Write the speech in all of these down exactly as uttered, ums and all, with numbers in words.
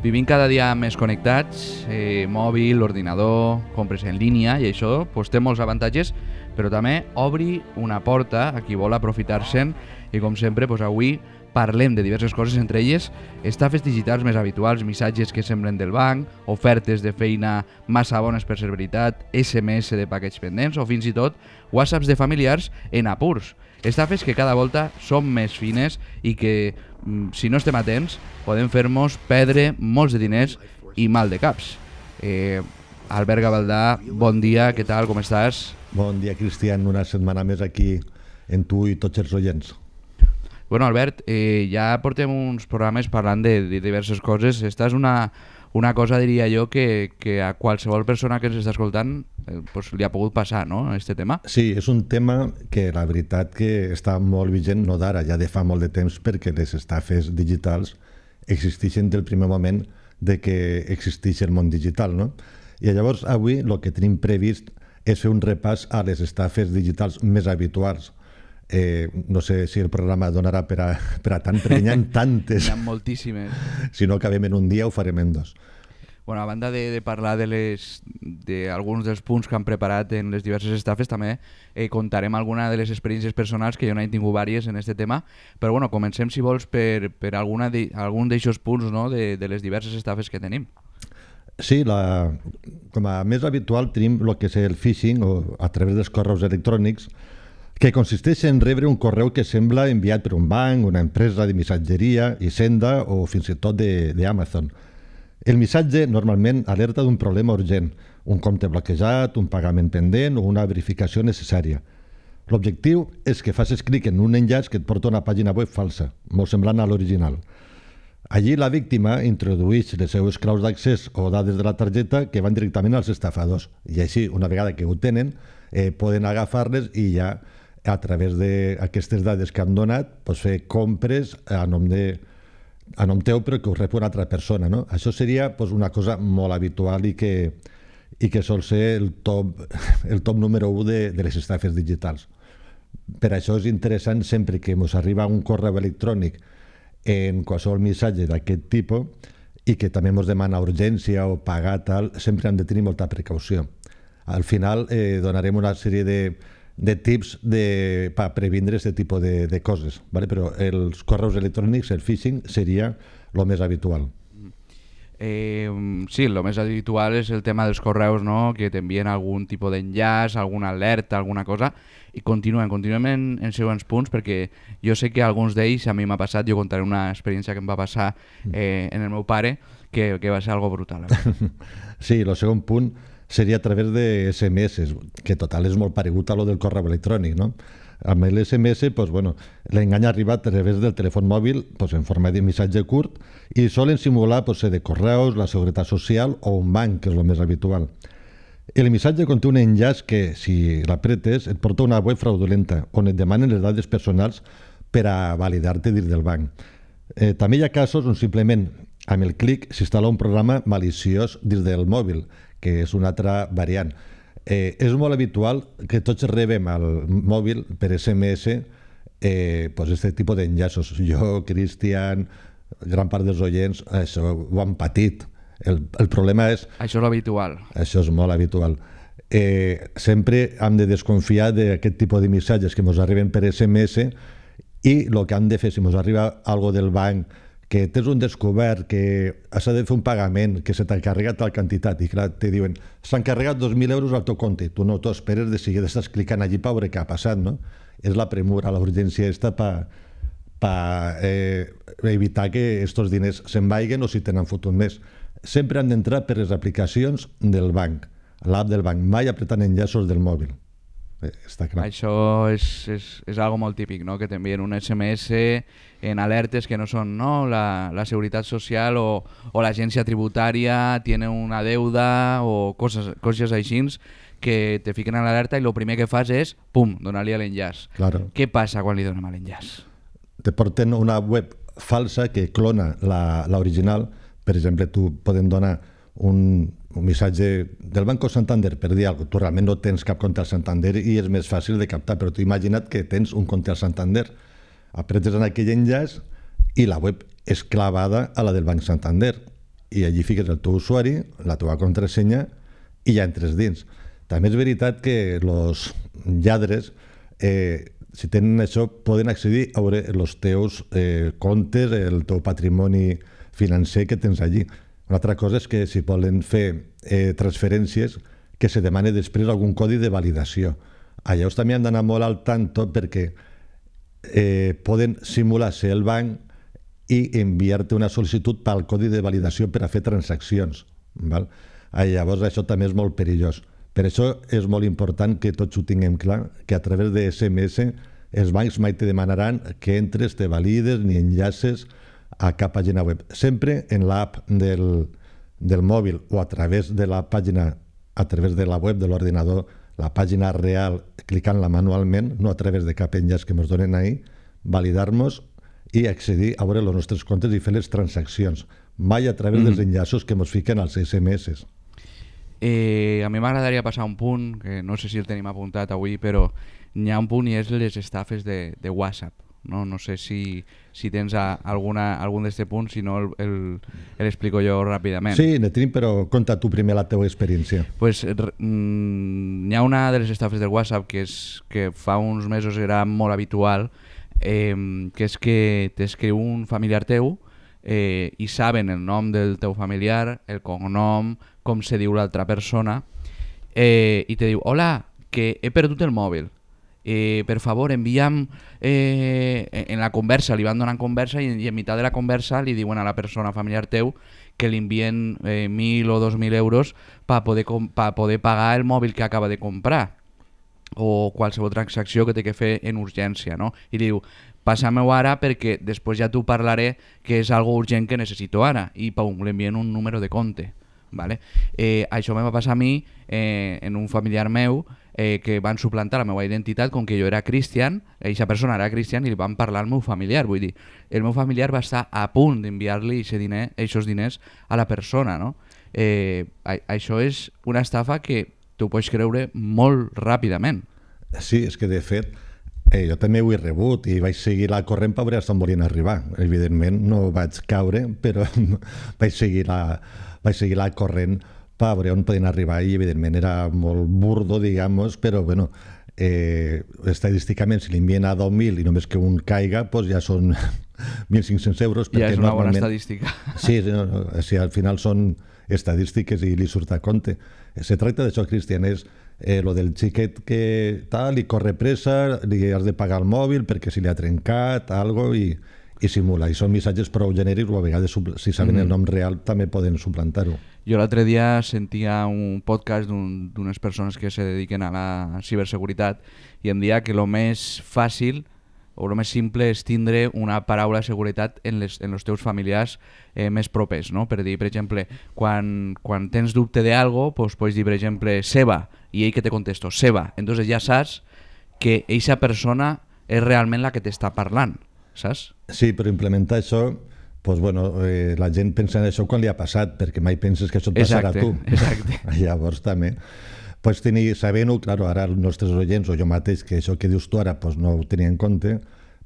vivim cada dia més connectats, eh, mòbil, ordinador, compres en línia, i això pues, té molts avantatges, però també obri una porta a qui vol aprofitar-se'n, i com sempre pues, avui parlem de diverses coses, entre elles estafes digitals més habituals, missatges que semblen del banc, ofertes de feina massa bones per ser veritat, esse eme esse de paquets pendents o fins i tot whatsapps de familiars en apurs. Estafes que cada volta són més fines i que, si no estem atents, poden fer-nos perdre molts de diners i mal de caps. Eh, Albert Gavaldà, bon dia, què tal, com estàs? Bon dia, Cristian, una setmana més aquí en tu i tots els oients. Bueno, Albert, eh, ja portem uns programes parlant de, de diverses coses. Esta és una, una cosa, diria jo, que, que a qualsevol persona que ens està escoltant eh, pues, li ha pogut passar, no?, este tema. Sí, és un tema que la veritat que està molt vigent, no d'ara, ja de fa molt de temps, perquè les estafes digitals existeixen del primer moment de que existeix el món digital, no? I llavors avui el que tenim previst és fer un repàs a les estafes digitals més habituals. Eh, no sé si el programa donarà per a, per a tant, perquè n'hi ha tantes. N'hi ha moltíssimes. Si no acabem en un dia, ho farem en dos. Bueno, a banda de, de parlar de les d'alguns dels punts que han preparat en les diverses estafes, també eh, contarem alguna de les experiències personals, que jo n'he tingut vàries en aquest tema, però bueno, comencem, si vols, per, per alguna de, algun d'aixòs punts, no?, de, de les diverses estafes que tenim. Sí, la, com a més habitual tenim el que és el phishing, o a través dels correus electrònics, que consisteix en rebre un correu que sembla enviat per un banc, una empresa de missatgeria, Hisenda o fins i tot d'Amazon. El missatge normalment alerta d'un problema urgent, un compte bloquejat, un pagament pendent o una verificació necessària. L'objectiu és que facis clic en un enllaç que et porta a una pàgina web falsa, molt semblant a l'original. Allí la víctima introdueix les seves claus d'accés o dades de la targeta que van directament als estafadors, i així, una vegada que ho tenen, eh, poden agafar-les i ja a través d'aquestes dades que han donat, doncs fer compres a nom, de, a nom teu, però que ho rep una altra persona, no? Això seria doncs, una cosa molt habitual i que, i que sol ser el top, el top número u de, de les estafes digitals. Per això és interessant, sempre que ens arriba un correu electrònic en qualsevol missatge d'aquest tipus i que també ens demana urgència o pagar tal, sempre hem de tenir molta precaució. Al final eh, donarem una sèrie de de tips de, per previndre aquest tipus de, de coses, ¿vale? Però els correus electrònics, el phishing, seria el més habitual. Eh, sí, el més habitual és el tema dels correus, no?, que t'envien algun tipus d'enllaç, alguna alerta, alguna cosa, i continuem, continuem en, en següents punts, perquè jo sé que alguns d'ells a mi m'ha passat, jo contaré una experiència que em va passar eh, en el meu pare, que, que va ser algo brutal. Sí, el segon punt seria a través de esse eme esse, que total és molt paregut a lo del correu electrònic, no? Amb l'esse eme esse, pues, bueno, l'engany arriba a través del telèfon mòbil, pues, en forma de missatge curt, i solen simular pues, de correus, la seguretat social o un banc, que és el més habitual. El missatge conté un enllaç que, si l'apretes, et porta a una web fraudulenta, on et demanen les dades personals per a validar-te dins del banc. Eh, també hi ha casos on simplement amb el clic s'instal·la un programa maliciós dins del mòbil, que és una altra variant. Eh, és molt habitual que tots rebem al mòbil per esse eme esse eh, pues este tipus d'enllaços. Jo, Cristian, gran part dels oients, això ho han patit. El, el problema és... Això és l'habitual. Això és molt habitual. Eh, sempre hem de desconfiar d'aquest tipus de missatges que ens arriben per esse eme esse i el que hem de fer, si ens arriba algo del banc, que tens un descobert, que has de fer un pagament, que se t'ha carregat tal quantitat, i clar, te diuen, s'han carregat dos mil euros al teu compte, tu no t'ho esperes, de seguida estàs clicant allí per veure què ha passat, no? És la premura, la urgència està per pa, eh, evitar que aquests diners se'n vaiguen o si tenen fotut més. Sempre han d'entrar per les aplicacions del banc, l'app del banc, mai apretant enllaços del mòbil. Eh, està clar. Això és, és, és algo molt típic, no?, que t'envien un esse eme esse en alertes que no són, no?, la, la seguretat social o, o l'agència tributària tiene una deuda o coses, coses així que te fiquen a l'alerta i el primer que fas és, pum, donar-li a l'enllaç. Claro. Què passa quan li donem a l'enllaç? Te porten una web falsa que clona l'original. Per exemple, tu poden donar un, un missatge del Banco Santander per dir alguna cosa. Tu realment no tens cap compte al Santander i és més fàcil de captar, però tu imagina't que tens un compte al Santander. Apretes en aquell enllaç i la web és clavada a la del Banc Santander. i allí fiques el teu usuari, la teva contrasenya i ja entres dins. També és veritat que els lladres, eh, si tenen això, poden accedir a veure els teus eh, comptes, el teu patrimoni financer que tens allí. Una altra cosa és que si volen fer eh, transferències, que se demani després algun codi de validació. Allà també han d'anar molt al tanto perquè eh, poden simular ser el banc i enviar-te una sol·licitud pel codi de validació per a fer transaccions. Val? Llavors això també és molt perillós. Per això és molt important que tots ho tinguem clar, que a través de esse eme esse els bancs mai te demanaran que entres, te valides ni enllaces a cap pàgina web. Sempre en l'app del, del mòbil o a través de la pàgina, a través de la web de l'ordinador, la pàgina real, clicant-la manualment, no a través de cap enllaç que ens donen ahí, validar-nos i accedir a veure els nostres comptes i fer les transaccions. Mai a través mm. dels enllaços que ens fiquen als esse eme esse. Eh, a mi m'agradaria passar un punt, que no sé si el tenim apuntat avui, però n'hi ha un punt i és les estafes de, de WhatsApp. No, no sé si, si tens a, alguna, algun d'aquests punts, si no l'explico jo ràpidament. Sí, ne tenim, però conta tu primer la teva experiència. Pues, mm, n'hi ha una de les estafes del WhatsApp que, és, que fa uns mesos era molt habitual, eh, que és que t'escriu un familiar teu eh, i saben el nom del teu familiar, el cognom, com se diu l'altra persona, eh, i te diu, hola, que he perdut el mòbil. Eh, per favor, envia'm eh, en la conversa, li van donant conversa i, i en mitjà de la conversa li diuen a la persona familiar teu que li envien eh, mil o dos mil euros per poder, pa poder pagar el mòbil que acaba de comprar o qualsevol transacció que té que fer en urgència, no? I diu, passa-m'ho ara perquè després ja t'ho parlaré que és algo urgent que necessito ara, i pum, li envien un número de compte. Vale? Eh, això me va passar a mi eh, en un familiar meu eh, que van suplantar la meva identitat com que jo era cristian, aquesta persona era cristian i li van parlar al meu familiar, vull dir, el meu familiar va estar a punt d'enviar-li aquests diner, diners a la persona, no? Eh, a, això és una estafa que tu pots creure molt ràpidament. Sí, és que de fet eh, jo també ho he rebut i vaig seguir la corrent per veure on volien arribar. Evidentment no vaig caure, però vaig seguir la vaig seguir la corrent per veure on podien arribar i evidentment era molt burdo, digamos, però bueno, eh, estadísticament si li envien a deu mil i només que un caiga, pues ja són mil cinc-cents euros. Ja és una bona estadística. Sí, no, no, o sigui, al final són estadístiques i li surt a compte. Se tracta d'això, Cristian, és eh, lo del xiquet que tal, li corre pressa, li has de pagar el mòbil perquè si li ha trencat, algo i... i simula, i són missatges prou genèrics o a vegades si saben mm. el nom real també poden suplantar-ho. Jo l'altre dia sentia un podcast d'unes persones que se dediquen a la ciberseguretat i em deia que el més fàcil o el més simple és tindre una paraula de seguretat en, les, en els teus familiars eh, més propers, no? Per dir, per exemple, quan, quan tens dubte de algo, pues, pots dir, per exemple, Seba, i ell que te contesto, Seba. Entonces ja saps que eixa persona és realment la que t'està parlant. Saps? Sí, però implementar això, pues bueno, eh, la gent pensa en això quan li ha passat, perquè mai penses que això et passarà exacte, a tu. Exacte. Llavors també pots tenir, sabent-ho, claro, ara els nostres oients o jo mateix, que això que dius tu ara pues no ho tenia en compte,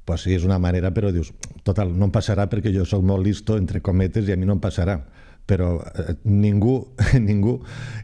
pues sí, és una manera, però dius, total, no em passarà perquè jo sóc molt listo, entre cometes, i a mi no em passarà. Però eh, ningú, ningú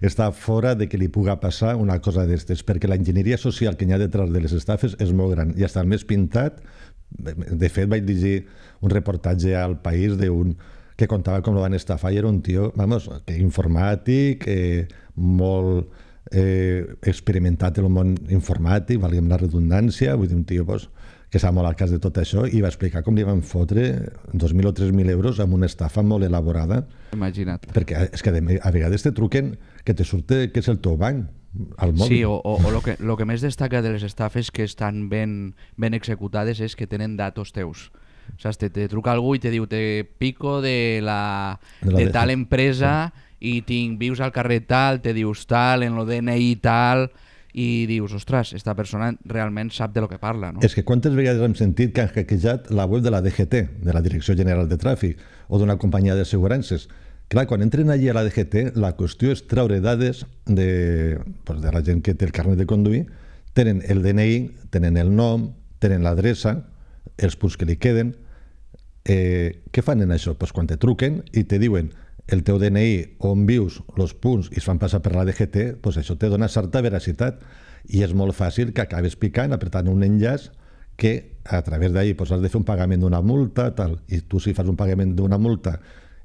està fora de que li puga passar una cosa d'estes, perquè la enginyeria social que hi ha detrás de les estafes és molt gran, i està el més pintat. De fet, vaig llegir un reportatge al País d'un que contava com lo van estafar i era un tio, vamos, que informàtic, eh, molt eh, experimentat en el món informàtic, valguem la redundància, vull dir, un tio pues, que sap molt al cas de tot això i va explicar com li van fotre dos mil o tres mil euros amb una estafa molt elaborada. Imagina't. Perquè és que a vegades te truquen que te surt que és el teu banc. Sí, o, o, o lo, que, lo que més destaca de les estafes que estan ben, ben executades és que tenen datos teus. O sigui, te, te truca algú i te diu te pico de, la, de, la de tal empresa sí. I tinc, vius al carrer tal, te dius tal, en lo D N I tal, i dius, ostres, esta persona realment sap de lo que parla, no? És que quantes vegades hem sentit que han hackejat la web de la D G T, de la Direcció General de Tràfic, o d'una companyia d'assegurances. Clar, quan entren allí a la D G T, la qüestió és treure dades de, pues, de la gent que té el carnet de conduir, tenen el D N I, tenen el nom, tenen l'adreça, els punts que li queden. Eh, què fan en això? Pues quan te truquen i te diuen el teu D N I, on vius, els punts, i es fan passar per la D G T, doncs això te dona certa veracitat. I és molt fàcil que acabes picant, apretant un enllaç que a través d'ahir pues, has de fer un pagament d'una multa, tal, i tu si fas un pagament d'una multa,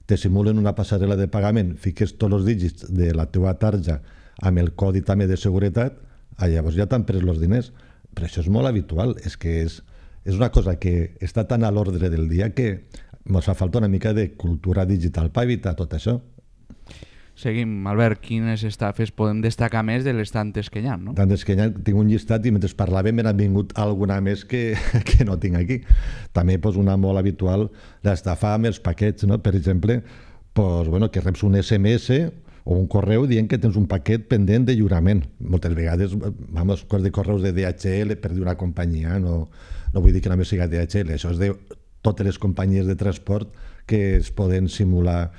te simulen una passarel·la de pagament, fiques tots els dígits de la teva tarja amb el codi també de seguretat, llavors ja t'han pres els diners. Però això és molt habitual, és que és, és una cosa que està tan a l'ordre del dia que ens fa falta una mica de cultura digital per evitar tot això. Seguim, Albert, quines estafes podem destacar més de les tantes que hi ha, no? Tantes que hi ha, tinc un llistat i mentre parlàvem me n'ha vingut alguna més que, que no tinc aquí. També pues, una molt habitual, l'estafa amb els paquets, no? Per exemple, pues, bueno, que reps un S M S o un correu dient que tens un paquet pendent de lliurament. Moltes vegades, vamos, coses de correus de D H L per d'una companyia, no, no vull dir que només sigui D H L, això és de totes les companyies de transport que es poden simular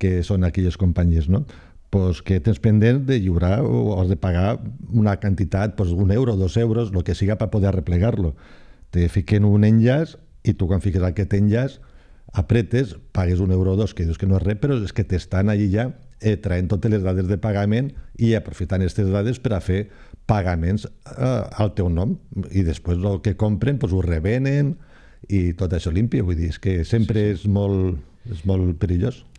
que són aquelles companyies, no? Pues que tens pendent de lliurar o has de pagar una quantitat, pues un euro, dos euros, el que siga per poder replegar-lo. Te fiquen un enllaç i tu quan fiques aquest enllaç apretes, pagues un euro o dos, que dius que no és res, però és que t'estan allí ja eh, traient totes les dades de pagament i aprofitant aquestes dades per a fer pagaments eh, al teu nom. I després el que compren pues, ho revenen i tot això limpi. Vull dir, és que sempre és molt, és molt perillós.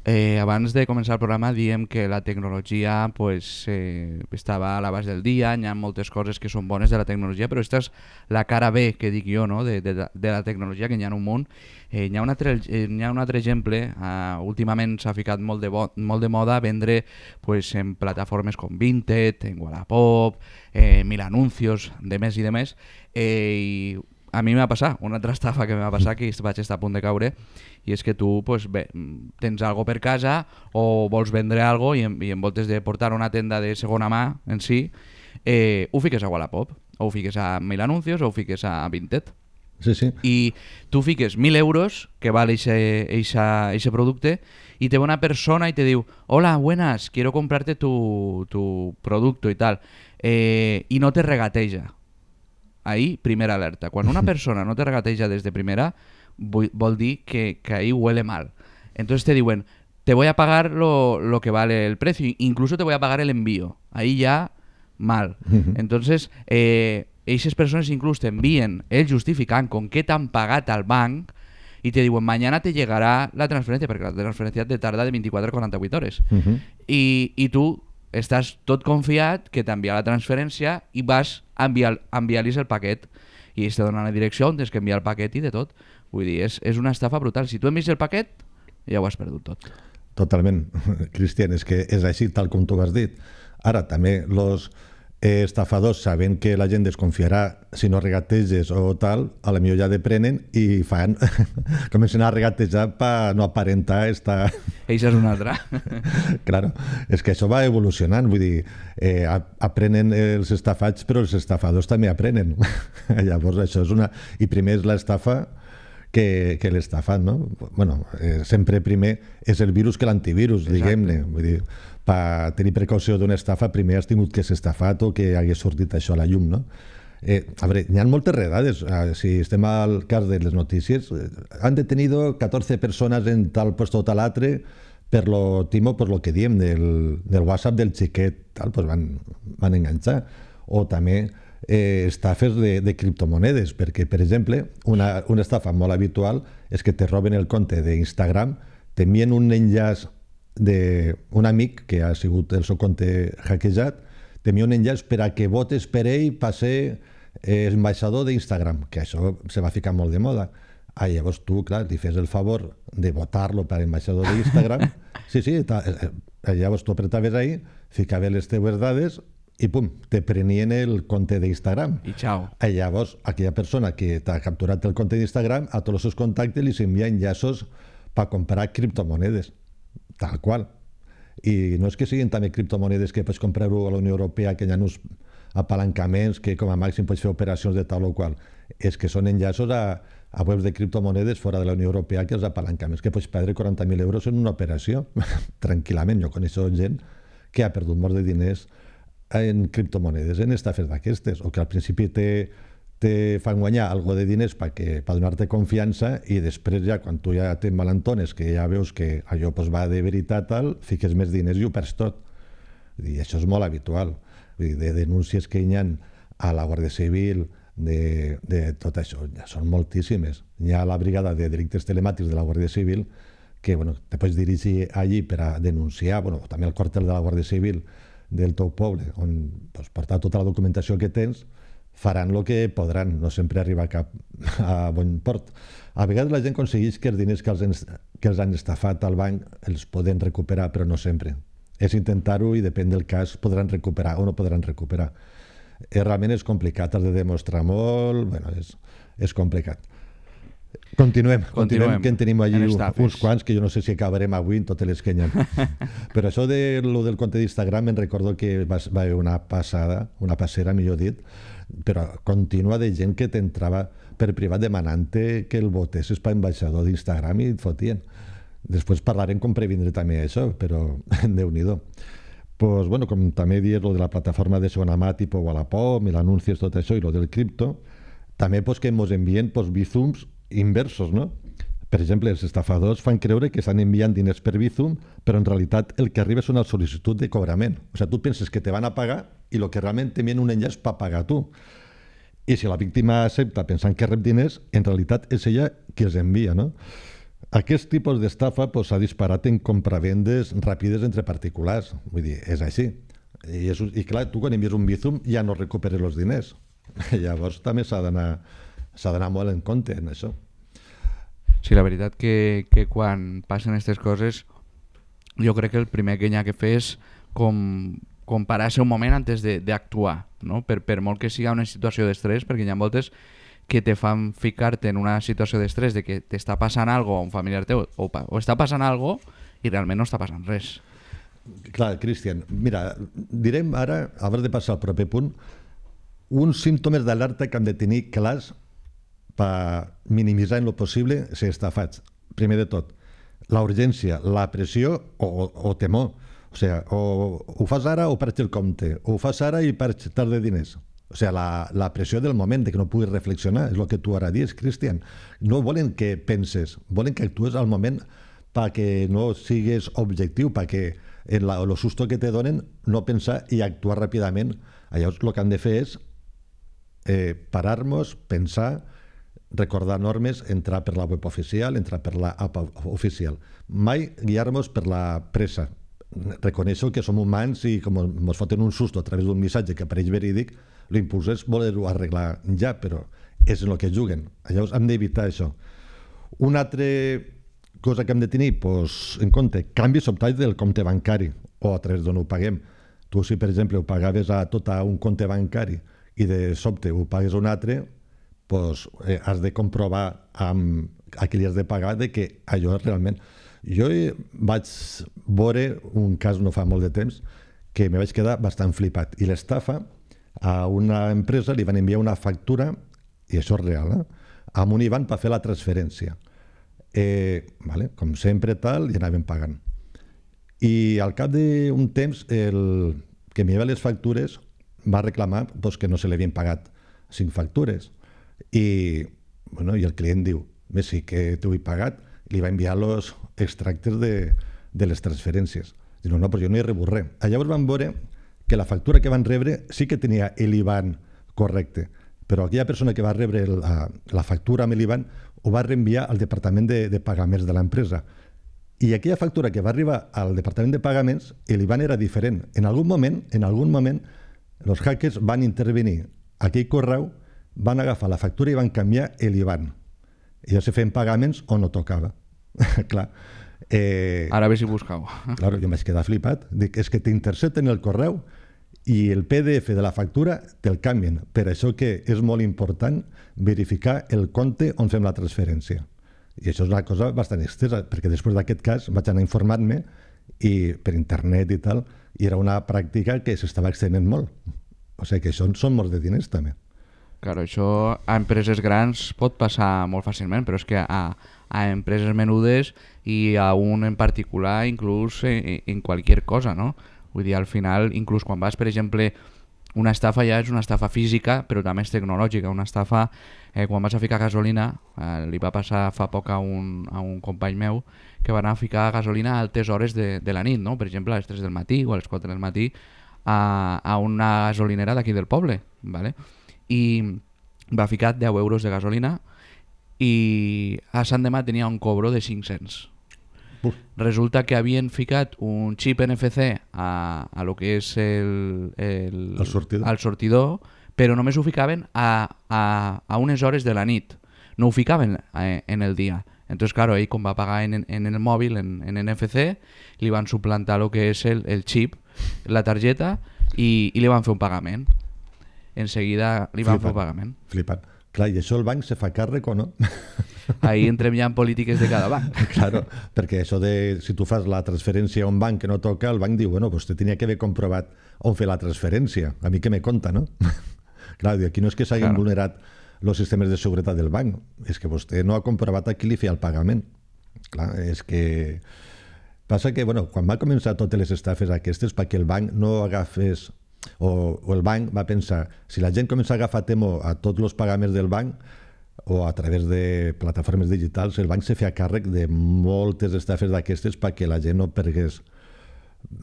Eh, abans de començar el programa diem que la tecnologia pues, eh, estava a l'abast del dia, hi ha moltes coses que són bones de la tecnologia, però aquesta és la cara B, que dic jo, no? de, de, de la tecnologia, que hi ha un munt. Eh, hi, ha un altre, eh, hi ha un altre exemple, eh, últimament s'ha ficat molt de, bo, molt de moda vendre pues, en plataformes com Vinted, en Wallapop, eh, Mil Anuncios, de més i de més, eh, i a mi m'ha passat, una altra estafa que m'ha passat, que vaig estar a punt de caure, i és que tu pues, bé, tens algo per casa o vols vendre algo i en, i en voltes de portar una tenda de segona mà en si, eh, ho fiques a Wallapop, o ho fiques a Mil Anuncios, o ho fiques a Vinted. Sí, sí. I tu fiques mil euros, que vale ese producte, y te ve una persona y te diu, hola, buenas, quiero comprarte tu, tu producto y tal, eh, y no te regateja. Ahí, primera alerta. Cuando una persona no te regateja desde primera, vol dir que, que ahí huele mal. Entonces te diuen, te voy a pagar lo, lo que vale el precio, incluso te voy a pagar el envío. Ahí ya, mal. Entonces, eh, esas persones incluso te envíen el justificant con què t'han pagat al banc i te diuen, mañana te llegará la transferència, perquè la transferència te tarda de vint-i-quatre a quaranta-vuit hores. Uh -huh. I, I tu estàs tot confiat que t'envia la transferència i vas a enviar, enviar-los el paquet i ells te donen la direcció on tens que enviar el paquet i de tot. Vull dir, és, és una estafa brutal. Si tu envies el paquet, ja ho has perdut tot. Totalment, Cristian, és que és així tal com tu has dit. Ara, també els eh, estafadors, sabent que la gent desconfiarà si no regateges o tal, a la millor ja deprenen i fan, comencen a regatejar per no aparentar esta... Eixa és una altra. Claro, és que això va evolucionant, vull dir, eh, aprenen els estafats, però els estafadors també aprenen. Llavors això és una... I primer és l'estafa que, que l'estafat, no? Bueno, eh, sempre primer és el virus que l'antivirus, diguem-ne. Vull dir, per tenir precaució d'una estafa, primer has tingut que ser estafat o que hagués sortit això a la llum, no? Eh, a veure, hi ha moltes redades. Eh, si estem al cas de les notícies, eh, han detenido catorze persones en tal puesto o tal altre per lo timo, per lo que diem del, del WhatsApp del xiquet, tal, pues van, van enganxar. O també eh, estafes de, de criptomonedes, perquè, per exemple, una, una estafa molt habitual és que te roben el compte d'Instagram, t'envien un enllaç d'un amic que ha sigut el seu compte hackejat, t'envia un enllaç per a que votes per ell per ser eh, ambaixador d'Instagram, que això se va ficar molt de moda. Ah, llavors tu, clar, li fes el favor de votar-lo per ambaixador d'Instagram. Sí, sí, ta, eh, llavors tu apretaves ahí, ficaves les teves dades i pum, te prenien el compte d'Instagram. I xau. I llavors aquella persona que t'ha capturat el compte d'Instagram, a tots els seus contactes li s'envia enllaços per comprar criptomonedes, tal qual. I no és que siguin també criptomonedes que pots comprar-ho a la Unió Europea, que hi ha uns apalancaments que com a màxim pots fer operacions de tal o qual. És que són enllaços a, a webs de criptomonedes fora de la Unió Europea, que els apalancaments, que pots perdre quaranta mil euros en una operació, tranquil·lament. Jo coneixo gent que ha perdut molts de diners en criptomonedes, en estafes d'aquestes, o que al principi te, te fan guanyar algo de diners per donar-te confiança i després ja, quan tu ja t'embalantones, que ja veus que allò pues, va de veritat, tal, fiques més diners i ho perds tot. I això és molt habitual. Vull dir, de denúncies que hi ha a la Guàrdia Civil, de, de tot això, ja són moltíssimes. Hi ha la brigada de delictes telemàtics de la Guàrdia Civil que bueno, te pots dirigir allí per a denunciar, bueno, també al quartel de la Guàrdia Civil del teu poble, on pues, portar tota la documentació que tens, faran el que podran, no sempre arriba a cap a bon port. A vegades la gent aconsegueix que els diners que els, que els han estafat al banc els poden recuperar, però no sempre. És intentar-ho i depèn del cas podran recuperar o no podran recuperar. Eh, realment és complicat, has de demostrar molt, bueno, és, és complicat. Continuem, continuem, continuem que en tenim allí en uns quants que jo no sé si acabarem avui en totes les que hi ha. Però això de, lo del compte d'Instagram me'n recordo que va, va haver una passada, una passera, millor dit, però continua de gent que t'entrava per privat demanant-te que el votessis per ambaixador d'Instagram i et fotien. Després parlarem com previndre també això, però Déu-n'hi-do. Pues, bueno, com també dius lo de la plataforma de segona mà tipus Wallapop i l'anuncis, tot això, i lo del cripto, també pues, que ens envien pues, Bizums inversos, no? Per exemple, els estafadors fan creure que estan enviant diners per Bizum, però en realitat el que arriba és una sol·licitud de cobrament. O sigui, tu penses que te van a pagar i el que realment t'envien un enllaç per pagar tu. I si la víctima accepta pensant que rep diners, en realitat és ella qui els envia, no? Aquest tipus d'estafa s'ha pues, disparat en compravendes ràpides entre particulars. Vull dir, és així. I, és, i clar, tu quan envies un Bizum ja no recuperes els diners. Llavors també s'ha d'anar s'ha d'anar molt en compte en això. Sí, la veritat que, que quan passen aquestes coses jo crec que el primer que hi ha que fer és com, com parar-se un moment antes d'actuar, no? per, per molt que sigui una situació d'estrès, perquè hi ha moltes que te fan ficar-te en una situació d'estrès de que t'està passant alguna cosa a un familiar teu o, o està passant alguna cosa i realment no està passant res. Clar, Cristian, mira, direm ara, abans de passar al proper punt, uns símptomes d'alerta que hem de tenir clars per minimitzar en lo possible ser estafats. Primer de tot, la urgència, la pressió o, o, o temor. O sigui, o ho fas ara o perds el compte, o ho fas ara i perds tard de diners. O sigui, la, la pressió del moment, de que no puguis reflexionar, és el que tu ara dius, Cristian. No volen que penses, volen que actues al moment perquè no sigues objectiu, perquè en la, el susto que te donen no pensar i actuar ràpidament. Llavors, el que han de fer és eh, parar-nos, pensar, recordar normes, entrar per la web oficial, entrar per la app oficial. Mai guiar-nos per la pressa. Reconeixo que som humans i com ens foten un susto a través d'un missatge que apareix verídic, l'impuls és voler-ho arreglar ja, però és en el que juguen. Llavors hem d'evitar això. Una altra cosa que hem de tenir pues, en compte, canvis sobtats del compte bancari o a través d'on ho paguem. Tu, si per exemple ho pagaves a tot a un compte bancari i de sobte ho pagues a un altre, pues, eh, has de comprovar amb a qui li has de pagar de que allò realment... Jo vaig veure un cas no fa molt de temps que me vaig quedar bastant flipat. I l'estafa, a una empresa li van enviar una factura, i això és real, eh? amb un I B A N per fer la transferència. Eh, vale, com sempre tal, i anaven pagant. I al cap d'un temps, el que m'enviava les factures va reclamar pues, que no se li havien pagat cinc factures. I, bueno, i el client diu, bé, sí que t'ho he pagat, li va enviar els extractes de, de les transferències. Diu, no, no, però jo no he rebut res. Llavors van veure que la factura que van rebre sí que tenia l'I B A N correcte, però aquella persona que va rebre la, la factura amb l'I B A N ho va reenviar al departament de, de pagaments de l'empresa. I aquella factura que va arribar al departament de pagaments, l'I B A N era diferent. En algun moment, en algun moment, els hackers van intervenir aquell correu, van agafar la factura i van canviar l'I B A N. I ja se feien pagaments on no tocava. Clar. Eh, Ara ve si buscau. Claro, jo m'haig quedat flipat. Dic, és que t'intercepten el correu i el P D F de la factura te'l canvien. Per això que és molt important verificar el compte on fem la transferència. I això és una cosa bastant extensa, perquè després d'aquest cas vaig anar informant-me i per internet i tal, i era una pràctica que s'estava extenent molt. O sigui que això són molts de diners també. Claro, això a empreses grans pot passar molt fàcilment, però és que a, a empreses menudes i a un en particular, inclús en, en qualsevol cosa, no? Vull dir, al final, inclús quan vas, per exemple, una estafa ja és una estafa física, però també és tecnològica. Una estafa, eh, quan vas a ficar gasolina, eh, li va passar fa poc a un, a un company meu que va anar a ficar gasolina a altes hores de, de la nit, no? Per exemple, a les tres del matí o a les quatre del matí a, a una gasolinera d'aquí del poble, ¿vale? I va ficar deu euros de gasolina i a Sant Demà tenia un cobro de cinc-cents. Uf. Resulta que havien ficat un xip N F C a, a lo que és el, el, El sortidor. al sortidor, però només ho ficaven a, a, a unes hores de la nit, no ho ficaven eh, en el dia. Entonces, claro, ell com va pagar en, en el mòbil, en, en N F C, li van suplantar lo que és el, el xip, la targeta, i, i li van fer un pagament. En seguida li van Flipant. fer un pagament. Flipant. Clar, i això el banc se fa càrrec o no? Ahí entrem ja en polítiques de cada banc. Claro, perquè això de si tu fas la transferència a un banc que no toca, el banc diu, bueno, pues te tenia que haver comprovat on fer la transferència. A mi què me conta, no? Clar, aquí no és que s'hagin Claro. vulnerat els sistemes de seguretat del banc, és que vostè no ha comprovat a qui li feia el pagament. Clar, és que... Passa que, bueno, quan va començar totes les estafes aquestes, perquè el banc no agafés, o, o el banc va pensar, si la gent comença a agafar temo a tots els pagaments del banc, o a través de plataformes digitals, el banc se feia càrrec de moltes estafes d'aquestes perquè la gent no pergués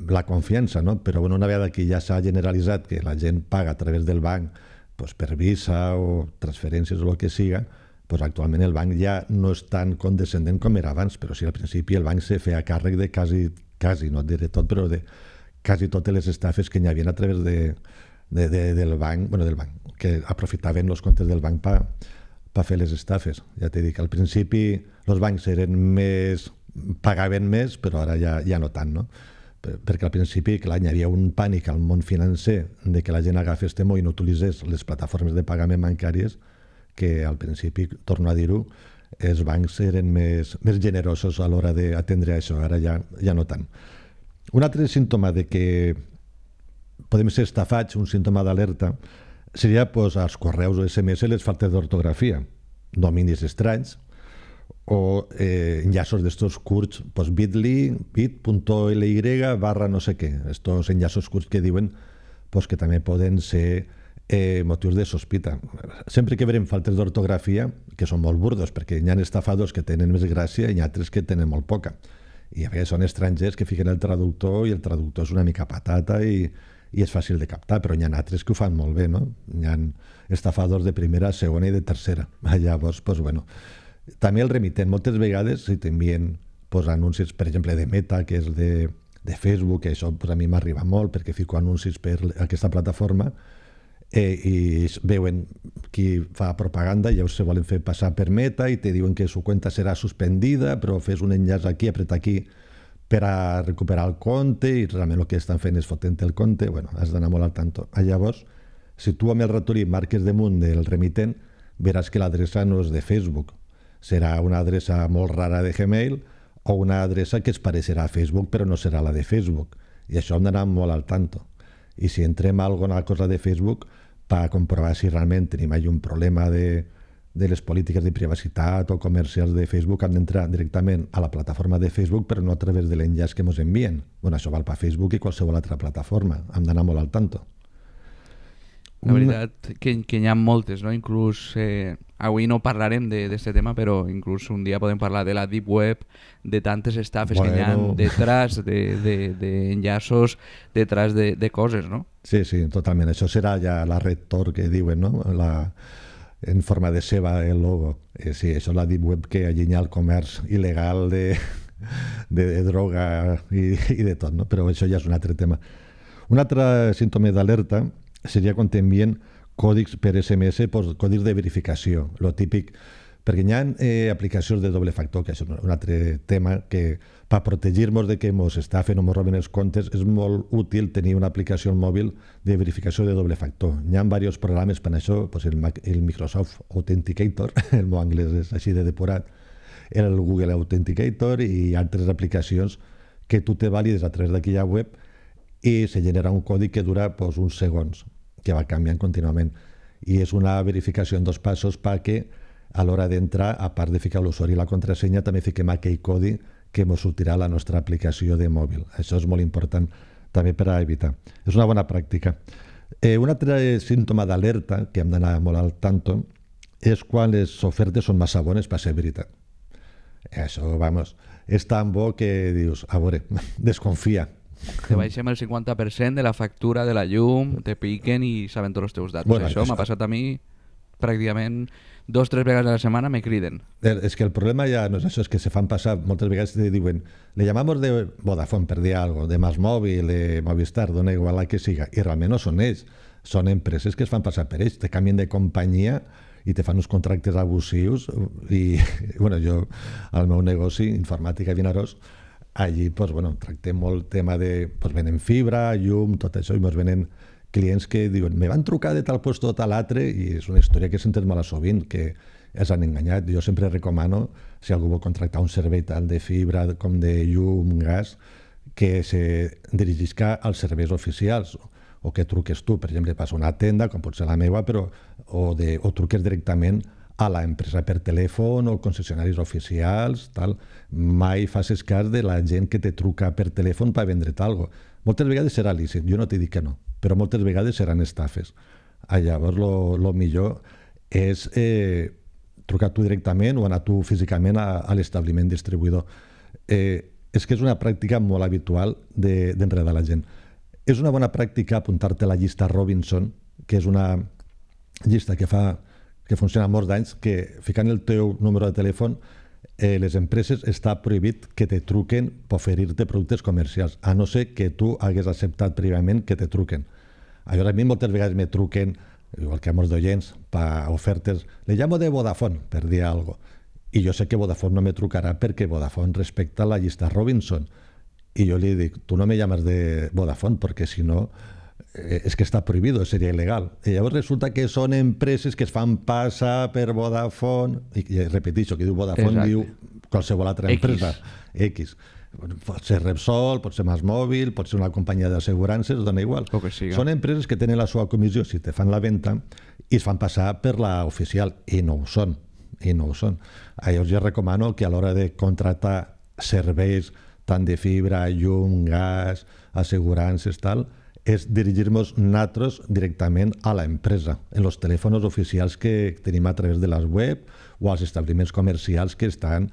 la confiança, no? Però bueno, una vegada que ja s'ha generalitzat que la gent paga a través del banc pues, per Visa o transferències o el que siga, pues, actualment el banc ja no és tan condescendent com era abans, però sí, al principi el banc se feia càrrec de quasi, quasi no et diré tot, però de quasi totes les estafes que hi havia a través de, de, de, del banc, bueno, del banc, que aprofitaven els comptes del banc per pa fer les estafes. Ja t'he dit que al principi els bancs eren més, pagaven més, però ara ja, ja no tant, no? Perquè al principi, clar, hi havia un pànic al món financer de que la gent agafés temo i no utilitzés les plataformes de pagament bancàries, que al principi, torno a dir-ho, els bancs eren més, més generosos a l'hora d'atendre això, ara ja, ja no tant. Un altre símptoma de que podem ser estafats, un símptoma d'alerta, seria pues, als correus o S M S les faltes d'ortografia, dominis estranys, o eh, enllaços d'estos curts, pues bit.ly, bit.ly barra no sé què, estos enllaços curts que diuen pues, que també poden ser eh, motius de sospita. Sempre que veurem faltes d'ortografia, que són molt burdos, perquè hi ha estafadors que tenen més gràcia i hi ha altres que tenen molt poca. I a vegades són estrangers que fiquen el traductor i el traductor és una mica patata i, i és fàcil de captar, però hi ha altres que ho fan molt bé, no? Hi ha estafadors de primera, segona i de tercera. Llavors, pues, bueno, també el remitent, moltes vegades si t'envien pues, anuncis, per exemple, de Meta, que és de, de Facebook, que això pues, a mi m'arriba molt perquè fico anuncis per aquesta plataforma eh, i veuen qui fa propaganda i llavors se volen fer passar per Meta i te diuen que su cuenta serà suspendida, però fes un enllaç aquí, apreta aquí per a recuperar el compte i realment el que estan fent és fotent el compte. Bueno, has d'anar molt al tanto. Llavors, si tu amb el ratolí marques damunt del remitent, veràs que l'adreça no és de Facebook. Serà una adreça molt rara de Gmail o una adreça que es parecerà a Facebook però no serà la de Facebook. I això hem d'anar molt al tanto. I si entrem a alguna cosa de Facebook per comprovar si realment tenim allà un problema de, de les polítiques de privacitat o comercials de Facebook, hem d'entrar directament a la plataforma de Facebook però no a través de l'enllaç que ens envien. Bueno, això val per Facebook i qualsevol altra plataforma. Hem d'anar molt al tanto. La veritat que, que n'hi ha moltes, no? Inclús eh, avui no parlarem d'aquest tema, però inclús un dia podem parlar de la Deep Web, de tantes estafes bueno. que n'hi ha detrás d'enllaços, de, de, detrás de, de coses, no? Sí, sí, totalment. Això serà ja la Red Tor que diuen, no? La, en forma de ceba el logo. Eh, sí, això és la Deep Web que allí hi ha el comerç il·legal de, de, de droga i, i de tot, no? Però això ja és un altre tema. Un altre símptoma d'alerta seria quan t'envien còdics per S M S, pues, còdics de verificació, lo típic, perquè hi ha eh, aplicacions de doble factor, que és un altre tema que per protegir-nos de que ens estafen o ens roben els comptes és molt útil tenir una aplicació al mòbil de verificació de doble factor. Hi ha diversos programes per això, pues el, el Microsoft Authenticator, el meu anglès és així de depurat, el Google Authenticator i altres aplicacions que tu te valides a través d'aquella web i se genera un codi que dura pues, uns segons, que va canviant contínuament. I és una verificació en dos passos perquè a l'hora d'entrar, a part de ficar l'usuari i la contrasenya, també fiquem aquell codi que ens sortirà a la nostra aplicació de mòbil. Això és molt important també per a evitar. És una bona pràctica. Eh, un altre símptoma d'alerta, que hem d'anar molt al tanto, és quan les ofertes són massa bones per ser veritat. Això, vamos, és tan bo que dius, a veure, desconfia. Te baixem el cinquanta per cent de la factura de la llum, te piquen i saben tots els teus datos. Bueno, això això- m'ha passat a mi pràcticament dos tres vegades a la setmana me criden. Eh, És que el problema ja no és això, és que se fan passar, moltes vegades te diuen, le llamamos de Vodafone, per dir alguna cosa, de Masmòvil, de Movistar, dona igual la que siga, i realment no són ells, són empreses que es fan passar per ells, te canvien de companyia i te fan uns contractes abusius i, bueno, jo, al meu negoci, informàtica a Vinaròs, allí, pues, bueno, tractem molt tema de, pues, venen fibra, llum, tot això, i ens venen clients que diuen, me van trucar de tal puesto o tal altre, i és una història que sentes molt sovint, que els han enganyat. Jo sempre recomano, si algú vol contractar un servei tant de fibra com de llum, gas, que se dirigisca als serveis oficials, o que truques tu, per exemple, pas a una tenda, com pot ser la meva, però, o, de, o truques directament a l'empresa per telèfon o concessionaris oficials, tal. Mai facis cas de la gent que te truca per telèfon per vendre't alguna cosa. Moltes vegades serà lícit, jo no t'he dit que no, però moltes vegades seran estafes. Ah, llavors, lo, lo millor és eh, trucar tu directament o anar tu físicament a, a l'establiment distribuïdor. Eh, és que és una pràctica molt habitual de, d'enredar la gent. És una bona pràctica apuntar-te a la llista Robinson, que és una llista que fa que funciona molts d'anys, que ficant el teu número de telèfon, eh, les empreses està prohibit que te truquen per oferir-te productes comercials, a no ser que tu hagués acceptat prèviament que te truquen. Llavors, a mi moltes vegades me truquen, igual que a molts d'oients, per ofertes, le llamo de Vodafone, per dir alguna cosa, i jo sé que Vodafone no me trucarà perquè Vodafone respecta la llista Robinson, i jo li dic, tu no me llames de Vodafone perquè si no eh, és que està prohibido, seria il·legal. I llavors resulta que són empreses que es fan passar per Vodafone, i, i repeteixo, que diu Vodafone, Exacte. diu qualsevol altra X. empresa, X. Pot ser Repsol, pot ser Masmòvil, pot ser una companyia d'assegurances, dona igual. O que siga. Són empreses que tenen la seva comissió si te fan la venda i es fan passar per la oficial, i no ho són, i no ho són. Llavors jo recomano que a l'hora de contractar serveis tant de fibra, llum, gas, assegurances, tal, és dirigir-nos nosaltres directament a l'empresa, en els telèfons oficials que tenim a través de les web o als establiments comercials que estan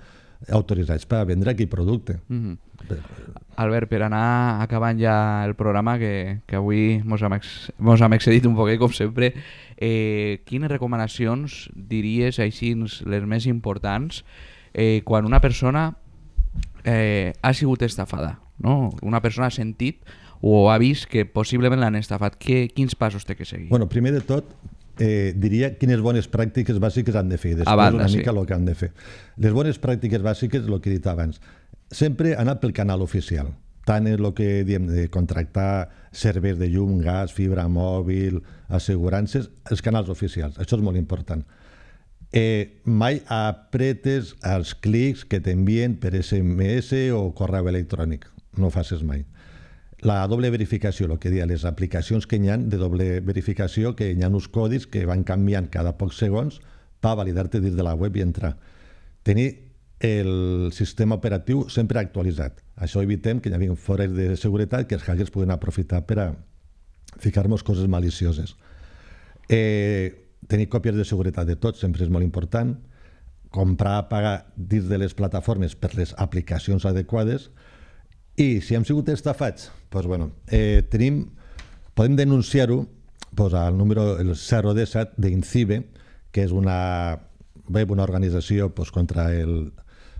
autoritzats per vendre aquell producte. Mm-hmm. Albert, per anar acabant ja el programa, que, que avui mos hem, ex, mos hem excedit un poquet, com sempre, eh, quines recomanacions diries així les més importants eh, quan una persona eh, ha sigut estafada, no? Una persona ha sentit o ha vist que possiblement l'han estafat. Que, quins passos té que seguir? Bueno, primer de tot, eh, diria quines bones pràctiques bàsiques han de fer, després banda, una sí. mica el que han de fer. Les bones pràctiques bàsiques, el que he dit abans, sempre anar pel canal oficial, tant en el que diem de contractar serveis de llum, gas, fibra mòbil, assegurances, els canals oficials, això és molt important. Eh, mai apretes els clics que t'envien per S M S o correu electrònic, no ho facis mai. La doble verificació, el que deia, les aplicacions que hi ha de doble verificació, que hi ha uns codis que van canviant cada pocs segons per validar-te dins de la web i entrar. Tenir el sistema operatiu sempre actualitzat. Això evitem que hi hagi fores de seguretat que els hackers puguen aprofitar per a ficar-nos coses malicioses. Eh, tenir còpies de seguretat de tot sempre és molt important. Comprar, pagar dins de les plataformes per les aplicacions adequades. I si hem sigut estafats, doncs, bueno, eh, tenim, podem denunciar-ho doncs, al número el zero disset d'Incibe, que és una web, una organització doncs, contra el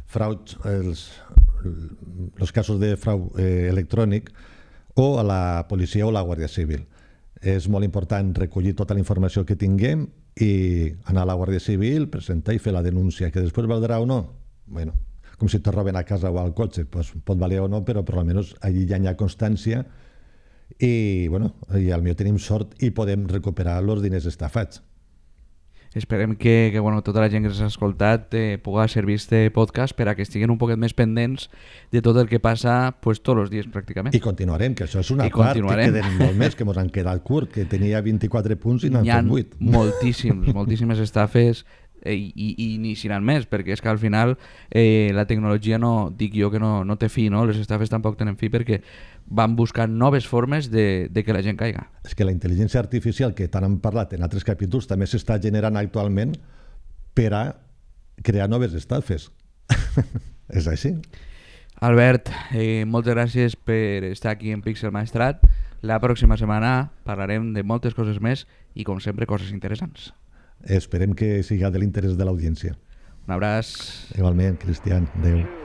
frau, els, els casos de frau eh, electrònic, o a la policia o la Guàrdia Civil. És molt important recollir tota la informació que tinguem i anar a la Guàrdia Civil, presentar i fer la denúncia, que després valdrà o no? Bueno, com si te roben a casa o al cotxe, pues, pot valer o no, però per almenys allí ja hi ha constància i, bueno, i al millor tenim sort i podem recuperar els diners estafats. Esperem que, que bueno, tota la gent que s'ha escoltat eh, pugui servir este podcast per a que estiguen un poquet més pendents de tot el que passa pues, tots els dies pràcticament. I continuarem, que això és una I part que continuarem. queden molt més, que ens han quedat curt, que tenia vint-i-quatre punts i n'han Hi ha fet vuit. moltíssims, moltíssimes estafes. eh, i, i ni si n'han més, perquè és que al final eh, la tecnologia no, dic jo que no, no té fi, no? Les estafes tampoc tenen fi perquè van buscant noves formes de, de que la gent caiga. És que la intel·ligència artificial, que tant hem parlat en altres capítols, també s'està generant actualment per a crear noves estafes. És així. Albert, eh, moltes gràcies per estar aquí en Pixel Maestrat. La pròxima setmana parlarem de moltes coses més i, com sempre, coses interessants. Esperem que siga de l'interès de l'audiència. Un abraç. Igualment, Cristian. Adéu.